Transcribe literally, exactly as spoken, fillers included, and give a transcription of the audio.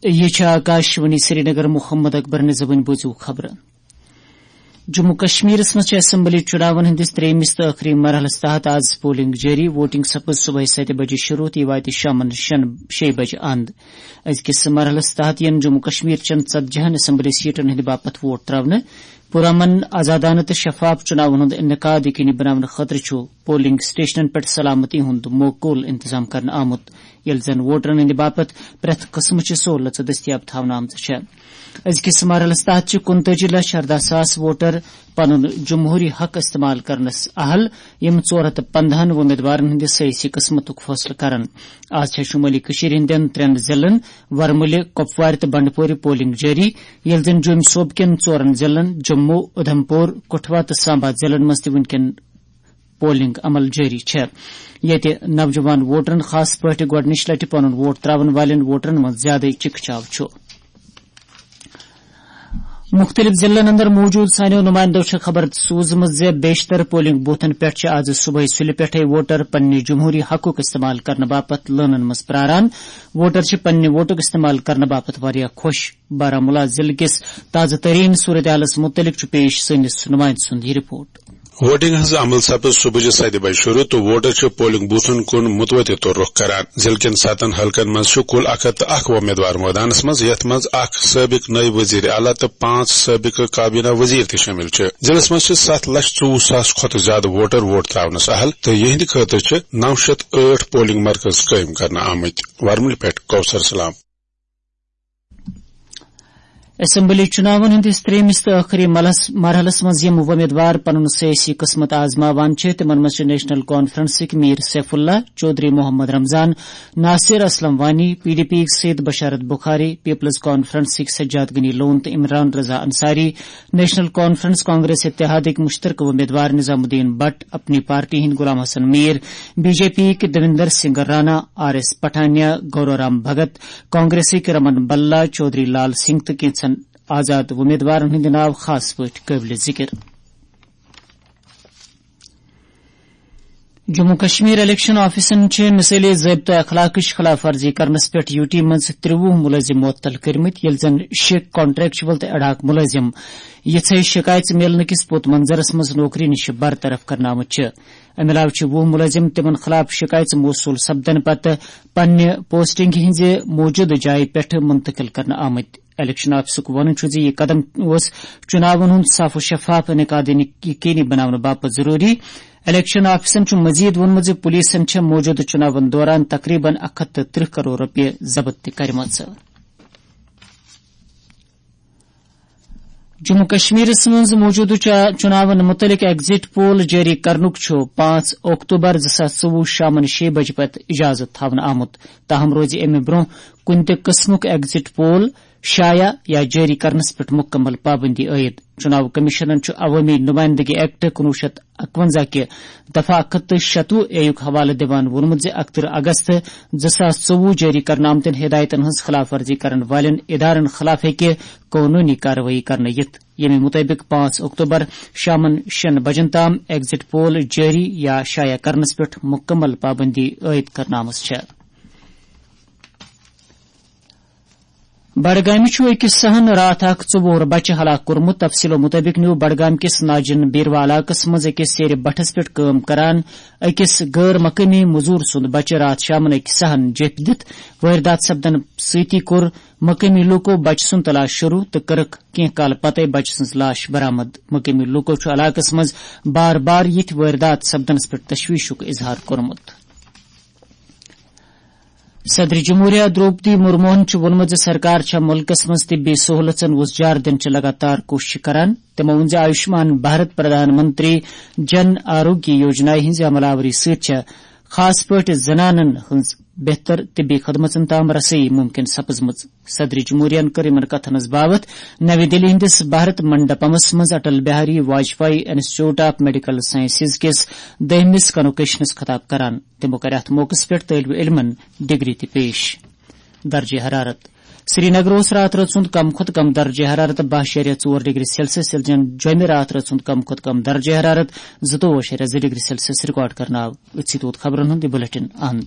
یہ چھِ آکاشوانی سرینگر۔ محمد اکبر نظامٕنۍ بوٗزِو خبرٕ۔ جموں کشمیرس منٛز چھِ اسمبلی چُناون ہٕنٛدِس ترٛیٚیمِس تہٕ ٲخری مرحلس تحت آز پولنگ جٲری۔ ووٹنگ سپٕز صبحٲے ستہِ بجہِ شروٗع تہٕ یہِ واتہِ شامن شیٚن، شیٚیہِ بجہِ اند۔ أزکِس مرحلس تحت یِن جموں کشمیر چٮ۪ن ژتجی ہن اسمبلی سیٹن ہٕنٛدِ باپتھ ووٹ ترٛاونہٕ۔ پُرامن، آزادانہٕ تہٕ شفاف چُناون ہُنٛد انعقاد یقینی بناونہٕ خٲطرٕ چھُ پولنگ سٹیشنن پٮ۪ٹھ سلامتی ہُنٛد موکول انتظام کرنہٕ آمُت، ییٚلہِ زن ووٹرن ہٕنٛدِ باپتھ پرٛٮ۪تھ قٕسمٕچہِ سہوٗلژٕ دٔستیاب تھاونہٕ آمژٕ چھےٚ۔ أزکِس مرحلس تحت چھِ کُنتٲجی لچھ ارداہ ساس ووٹر پنُن جمہوٗری حق استعمال کرنس اہل، یِم ژور ہتھ تہٕ پندہن وۄمیدوارن ہٕنٛدِ سیٲسی قٕسمتُک فٲصلہٕ کرن۔ آز چھےٚ شُمٲلی کٔشیٖرِ ہٕنٛدٮ۪ن ترٛٮ۪ن ضلعن، ورمُلہِ، کۄپوارِ تہٕ بنڈپورِ پولنگ جٲری، ییٚلہِ زن جوٚمۍ صوبہٕ کٮ۪ن ژورن ضلعن، جموں، اُدھمپور، کٹھوا تہٕ سامبا ضلعن منٛز تہِ وُنکٮ۪ن پولنگ عمل جٲری چھےٚ، ییٚتہِ نوجوان ووٹرن، خاص پٲٹھۍ گۄڈٕنِچ لٹہِ پنُن ووٹ ترٛاوَن والٮ۪ن ووٹرن منٛز زیادَے چِکہٕ چاو چھُ۔ مُختٔلِف ضلعن اندر موجود سانیو نمائندو چھےٚ خبر سوٗزمٕژ زِ بیشتر پولنگ بوتھن پٮ۪ٹھ چھِ آز صبحٲے سُلہِ پٮ۪ٹھَے ووٹر پننہِ جمہوٗری حقُک استعمال کرنہٕ باپتھ لٲنن منٛز پراران۔ ووٹر چھِ پننہِ ووٹُک استعمال کرنہٕ باپتھ واریاہ خۄش۔ بارہمولہ ضلعہٕ کِس تازٕ تریٖن صورتحالَس مُتعلِق چھُ پیش سٲنِس نُمایندٕ سُنٛد یہِ رپورٹ۔ ووٹنگ ہٕنٛز عمل سپٕز صبحٕچہِ ستہِ بجہِ شروٗع تہٕ ووٹر چھِ پولنگ بوتھن کُن متوٲتِر طور رُخ کران۔ ضلعہٕ کٮ۪ن ستن حلقن منٛز چھُ کُل اکھ ہتھ تہٕ اکھ وۄمیدوار مٲدانس منٛز، یتھ منٛز اکھ سٲبق نٲیِب وزیر اعلیٰ تہٕ پانٛژھ سٲبقہٕ کابینہ وزیر تہِ شٲمِل چھِ۔ ضلعس منٛز چھِ ستھ لچھ ژوٚوُہ ساس کھۄتہٕ زیادٕ ووٹر ووٹ ترٛاونس اہل تہٕ یِہنٛدِ خٲطرٕ چھِ نو شیٚتھ ٲٹھ پولنگ مرکز قٲیِم کرنہٕ آمٕتۍ۔ ورمُلہِ پٮ۪ٹھ کوثر سلام۔ اسمبلی چُناون ہٕنٛدِس ترٛیٚیمِس تہٕ ٲخری ملس-، مرحلس منٛز یِم وۄمیدوار پنُن سیٲسی قٕسمت آزماوان چھِ، تِمن منٛز چھِ national کانفرنسٕکۍ Mir Saif Ullah, Chaudhary Mohammad Ramzan, Nasir Aslam Wani, P D P یِکۍ سید بشارت بخاری، پیپلز کانفرنسٕکۍ سجاد غنی لون تہٕ Imran Raza Ansari, National Conference Congress اتحادٕکۍ مشترکہٕ وۄمیدوار نظام الدین بٹ، اپنی پارٹی ہٕنٛدۍ Ghulam Hassan Mir, B J P یِکۍ دویندر سنگھ رانا، آر ایس پٹھانیا، گورو رام بھگت، کانگریسٕکۍ رمن بلا، چودھری لال سنگھ تہٕ کینٛژن آزاد وۄمیدوارن ہٕنٛدۍ ناو خاص پٲٹھۍ قٲبلِ ذِکِر۔ جموں کشمیر الیکشن آفیسن چھِ مثٲلی ضٲبطہٕ اخلاقٕچ خلاف ورزی کرنس پٮ۪ٹھ یوٗ ٹی منٛز ترٛوُہ مُلٲزِم معطل کٔرمٕتۍ، ییٚلہِ زن شےٚ کانٹریکچوَل تہٕ ایڈاک مُلٲزِم یِژھے شِکایژٕ میلنہٕ کِس پوٚت منظرس منٛز نوکری نِش برطرف کرنہٕ آمٕتۍ چھِ۔ امہِ علاوٕ چھِ وُہ مُلٲزِم تِمن خلاف شِکایژٕ موصوٗل سپدن پتہٕ پننہِ پوسٹنگ ہٕنٛزِ موٗجوٗدٕ جایہِ پٮ۪ٹھ منتقل کرنہٕ آمٕتۍ۔ الیکشن آفسُک وَنُن چھُ زِ یہِ قدم اوس چُناون ہُنٛد صاف و شفاف انعقاد یقینی بناونہٕ باپتھ ضروٗری۔ الیکشن آفسن چھُ مزید ووٚنمُت زِ پولیسن چھےٚ موٗجوٗدٕ چُناون دوران تقریباً اکھ ہتھ تہٕ ترٕٛہ کرور رۄپیہِ ضبط تہِ کٔرمٕژ۔ جموں کشمیرس منٛز موٗجوٗدٕ چا-، چُناون مُتعلق ایگزٹ پول جٲری کرنُک چھُ پانٛژھ اکتوبر زٕ ساس ژوٚوُہ شامن شیٚیہِ بجہِ پتہٕ اجازت تھاونہٕ آمُت۔ تاہم روزِ امہِ برٛونٛہہ کُنہِ تہِ قٕسمُک ایگزٹ پول شایع یا جٲری کرنس پٮ۪ٹھ مکمل پابندی عائد۔ چُناو کمیشنن چھُ عوٲمی نمائندگی ایکٹ کُنوُہ شیٚتھ اکونزہ کہِ دفعہ اکھ ہتھ تہٕ شتوُہ اے یُک حوالہٕ دِوان ووٚنمُت زِ اکترٕہ اگست زٕ ساس ژوٚوُہ جٲری کرنہٕ آمتٮ۪ن ہدایتن ہٕنٛز خلاف ورزی کرن والٮ۪ن ادارن خلاف ہیٚکہِ قونوٗنی کاروٲیی کرنہٕ یِتھ، ییٚمہِ مُطٲبِق پانٛژھ اکتوبر شامن شیٚن بجن تام ایگزٹ پول جٲری یا شایع کرنس پٮ۪ٹھ مکمل پابندی عائد کرنہٕ آمٕژ چھےٚ۔ بڈگامہِ چھُ أکِس سہن راتھ اکھ ژوٚوُہُر بچہٕ ہلاک کوٚرمُت۔ تفصیٖلو مُطٲبِق نیوٗ بڈگام کِس ناجن بیروا علاقس منٛز أکِس سیرِ بٹھس پٮ۪ٹھ کٲم کران أکِس غٲر مقٲمی مٔزوٗر سُنٛد بچہٕ راتھ شامن أکِس سہن جیپھ دِتھ۔ وٲرۍدات سپدن سۭتی کوٚر مقٲمی لوٗکو بچہٕ سُنٛد تلاش شروٗع تہٕ کٔرٕکھ کینٛہہ کالہٕ پتَے بچہٕ سٕنٛز لاش برآمد۔ مقٲمی لوٗکو چھُ علاقس منٛز بار بار یِتھۍ وٲرۍدات سپدنس پٮ۪ٹھ تشویشُک اظہار کوٚرمُت۔ صدر جمہوریہ درٛوپدی مُرموہن چھُ ووٚنمُت زِ سرکار چھےٚ مُلکَس منٛز طبی سہوٗلژن وُژھ جار دِنٕچ لگاتار کوٗشش کران۔ تِمَو ووٚن زِ آیوشمان بھارت پردھان منتری جن آروگیہ یوجنا ہٕنٛزِ عمل آوری سۭتۍ چھےٚ خاص پٲٹھۍ زنانَن ہٕنٛز بہتر طبی خدمژن تام رسٲیی ممکن سپٕزمٕژ۔ صدر جمہوریہن کٔر یِمَن کتھن ہٕنٛز باوتھ نَوِ دِلہِ ہٕنٛدِس بھارت منڈپمس منٛز Atal Bihari Vajpayee institute of medical sciences کِس دوٚیمِس کنوکیشنس خطاب کران۔ تِمو کَرِ اَتھ موقعس پٮ۪ٹھ طٲلبہِ علمَن ڈگری تہِ پیش۔ درجہ حرارت۔ سرینگر اوس راتھ رٲژ ہُنٛد کم کھۄتہٕ کم درجہ حرارت باہ شیٚیہِ ژور ڈگری سیلسیس، ییٚلہِ زن جوٚمہِ راتھ رٲژ ہُنٛد کم کھۄتہٕ کم درجہ حرارت زٕتووُہ شیٚیہِ زٕ ڈگری سیلسیس ریکارڈ کرنہٕ آو۔ أتھۍ سۭتۍ ووت خبرن ہُنٛد یہِ بلیٹن اند۔